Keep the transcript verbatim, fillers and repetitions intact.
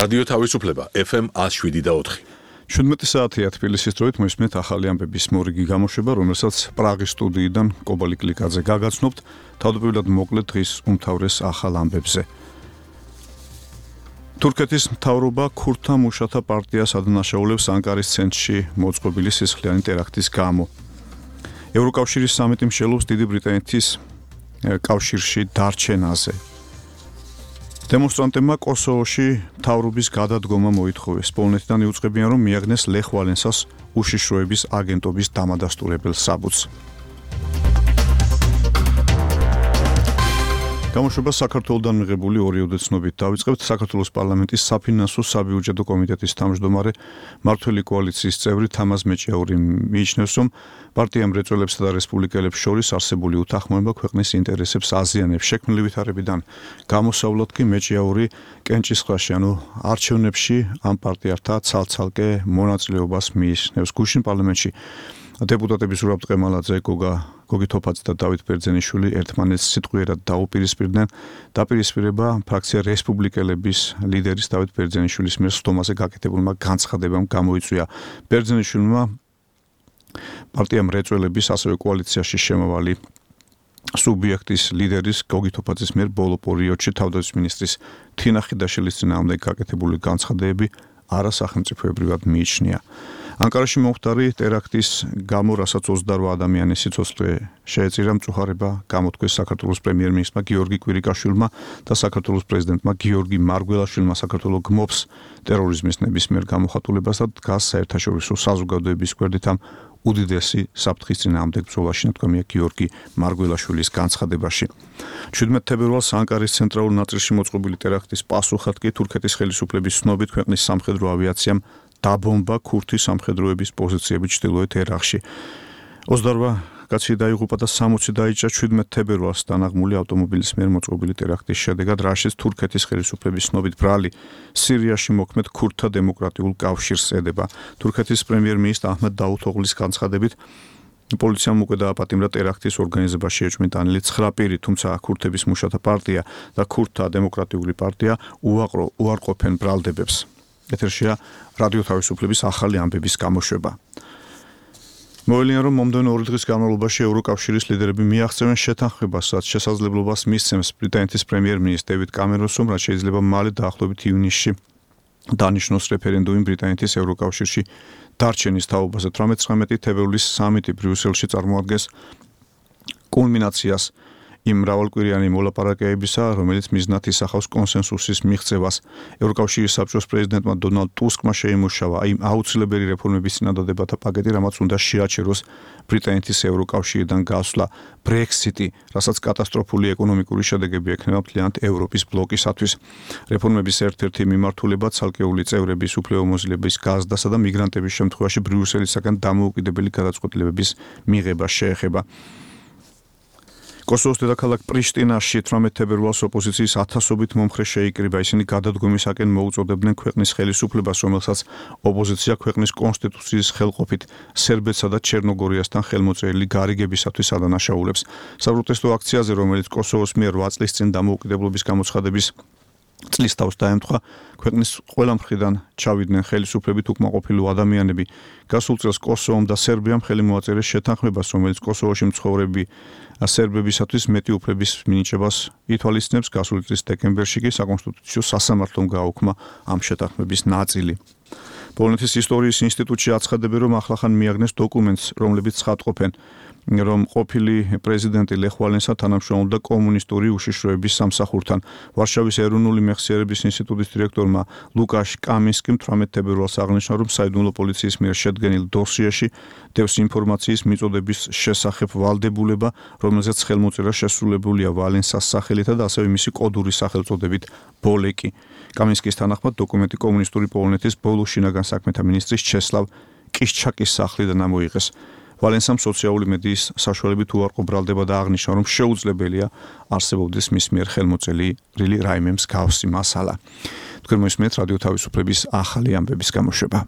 რადიო თავისუფლება ეფ ემ one oh seven და four. შვიდმეტი საათია თბილისის დროით მოისმენთ ახალი ამბების მორიგი გამოშვება, რომელსაც პრაღის სტუდიიდან კობალი კლიკაძე გაგაცნობთ, თავდაპირველად მოკლედ დღის უმთავრეს ახალ ამბებზე. თურქეთის მთავრობა ქურთთა მუშათა პარტიას ადანაშაულებს ანკარის ცენტრში მოწყობილი სისხლიანი ტერაქტის გამო. ევროკავშირის სამიტი მსჯელობს დიდი ბრიტანეთის კავშირში დარჩენაზე. დემონსტრანტებმა კოსოვოში მთავრობის გადადგომა მოითხოვეს. პოლონეთიდან იუწყებიან, რომ მიაგნეს ლეხ ვალენსას უშიშროების აგენტობის დამადასტურებელ საბუთს. გამოშვება საქართველოსთან მიღებული ორიოდე ცნობით დავიწყებთ. საქართველოს პარლამენტის საფინანსო საბიუჯეტო კომიტეტის თავმჯდომარე მმართველი კოალიციის წევრი თამაზ მეჭიაური მიიჩნევს, რომ პარტია მრეწველებსა და რესპუბლიკელებს შორის არსებული უთანხმოება ქვეყნის ინტერესებს აზიანებს. შექმნილი ვითარებიდან გამოსავლად კი მეჭიაური კენჭისყრაში, ანუ არჩევნებში ამ პარტიათა ცალ-ცალკე მონაწილეობას მიიჩნევს. გუშინ პარლამენტში დეპუტატები ზურაბ ტყემალაძე, გოგა გოგი თოფაძე და დავით ბერძენიშვილი ერთმანეთს სიტყვიერად დაუპირისპირდნენ. დაპირისპირება ფრაქცია რესპუბლიკელების ლიდერის დავით ბერძენიშვილის მიერ სხდომაზე გაკეთებულმა განცხადებამ გამოიწვია. ბერძენიშვილმა პარტია მრეწველების ასევე კოალიციაში შემავალი სუბიექტის ლიდერის გოგი თოფაძის მიერ ბოლო პერიოდში თავდაცვის მინისტრის თინა ხიდაშვილის წინააღმდეგ გაკეთებული განცხადებები არასახელმწიფოებრივად მიიჩნია. ანკარაში მომხდარი ტერაქტის გამო, რასაც ოცდაორი ადამიანის სიცოცხლე შეეწირა, მწუხარება გამოთქვეს საქართველოს პრემიერ-მინისტრმა გიორგი კვირიკაშვილმა და საქართველოს პრეზიდენტმა გიორგი მარგველაშვილმა. საქართველო გმობს ტერორიზმის ნებისმიერ გამოხატულებას და დგას საერთაშორისო საზოგადოების გვერდით ამ უდიდესი საფრთხის წინააღმდეგ ბრძოლაში, ნათქვამია გიორგი მარგველაშვილის განცხადებაში. შვიდმეტ თებერვალს ანკარის ცენტრალურ ნაწილში მოწყობილი ტერაქტის პასუხად კი თურქეთის ხელისუფლების ცნობით ქვეყნის სამხედრო ავიაციამ დაბომბა ქურთი სამხედროების პოზიციები ჩრდილოეთ ერაყში. ოცდაორ კაცი დაიღუპა და სამოცი დაიჭრა შვიდმეტ თებერვალს დანაღმული ავტომობილის მიერ მოწყობილი ტერაქტის შედეგად, რაშიც თურქეთის ხელისუფლების ცნობით ბრალი სირიაში მოქმედ ქურთთა დემოკრატიულ კავშირს ედება. თურქეთის პრემიერ-მინისტრ აჰმედ დაუთოღლის განცხადებით, პოლიციამ უკვე დააპატიმრა ტერაქტის ორგანიზებაში ეჭვმიტანილი ცხრა პირი, თუმცა ქურთების მუშათა პარტია და ქურთთა დემოკრატიული პარტია უაყრო უარყოფენ ბრალდებებს. ეთერშია რადიო თავისუფლების ახალი ამბების გამოშვება. მოელია, რომ მომდევნო ორი დღის განმავლობაში ევროკავშირის ლიდერები მიაღწევენ შეთანხმებას, რაც შესაძლებლობას მისცემს ბრიტანეთის პრემიერ-მინისტრ დევიდ კამერონს, რომ რაც შეიძლება მალე დაახლოებით ივნისში დანიშნოს რეფერენდუმი ბრიტანეთის ევროკავშირში დარჩენის თაობაზე. თვრამეტი თებერვლის სამიტი ბრიუსელში წარმოადგენს კულმინაციას იმ მრავალკვირიანი მოლაპარაკებისა, რომელიც მიზნად ისახავს კონსენსუსის მიღწევას. ევროკავშირის საბჭოს პრეზიდენტმა დონალდ ტუსკმა შეიმუშავა იმ აუცილებელი რეფორმების წინადადებათა პაკეტი, რამაც უნდა შეაჩეროს ბრიტანეთის ევროკავშირიდან გასვლა, ბრექსიტი, რასაც კატასტროფული ეკონომიკური შედეგები ექნება მთლიანად ევროპის ბლოკისათვის. რეფორმების ერთ-ერთი მიმართულება ცალკეული წევრების უფლებამოსილების გაზრდასა და მიგრანტების შემთხვევაში ბრიუსელისაგან დამოუკიდებელი გადაწყვეტილებების მიღება შეეხება. კოსოვოს დედაქალაქ პრიშტინაში თვრამეტ თებერვალს ოპოზიციის ათასობით მომხრე შეიკრიბა. ისინი გადადგომისაკენ მოუწოდებდნენ ქვეყნის ხელისუფლებას, რომელსაც ოპოზიცია ქვეყნის კონსტიტუციის ხელყოფით სერბეთსა და ჩერნოგორიასთან ხელმოწერილი გარიგებისათვის ადანაშაულებს. საპროტესტო აქციაზე, რომელიც კოსოვოს მიერ რვა წლის წინ დამოუკიდებლობის გამოცხადების წლის თავს დაემთხვა, ქვეყნის ყველა მხრიდან ჩავიდნენ ხელისუფლებით უკმაყოფილო ადამიანები. გასულ წელს კოსოვომ და სერბიამ ხელი მოაწერეს შეთანხმებას, რომელიც კოსოვოში მცხოვრები სერბებისათვის მეტი უფლების მინიჭებას ითვალისწინებს. გასული წლის დეკემბერში კი საკონსტიტუციო სასამართლომ გააუქმა ამ შეთანხმების ნაწილი. პოლონეთის ისტორიის ინსტიტუტში აცხადებენ, რომ ახლახან მიაგნეს დოკუმენტს, რომლებიც ცხადყოფენ, რომ ყოფილი პრეზიდენტი ლეხ ვალენსა თანამშრომლობდა კომუნისტური უშიშროების სამსახურთან. ვარშავის ეროვნული მეხსიერების ინსტიტუტის დირექტორმა ლუკაშ კამინსკიმ თვრამეტ თებერვალს აღნიშნა, რომ საიდუმლო პოლიციის მიერ შედგენილ დოსიაში დევს ინფორმაციის მიწოდების შესახებ ვალდებულება, რომელზეც ხელმოწერა შესრულებულია ვალენსას სახელითა და ასევე მისი კოდური სახელწოდებით ბოლეკი. კამინსკის თანახმად დოკუმენტი კომუნისტური პოლონეთის ბოლო შინაგან საქმეთა მინისტრის ჩესლავ კიშჩაკის სახლიდან ამოიღეს. ვალენსამ სოციალური მედიის საშუალებით უარყო ბრალდება და აღნიშნა, რომ შეუძლებელია არსებობდეს მის მიერ ხელმოწერილი რაიმე მსგავსი მასალა. თქვენ მოისმენთ რადიო თავისუფლების ახალი ამბების გამოშვება.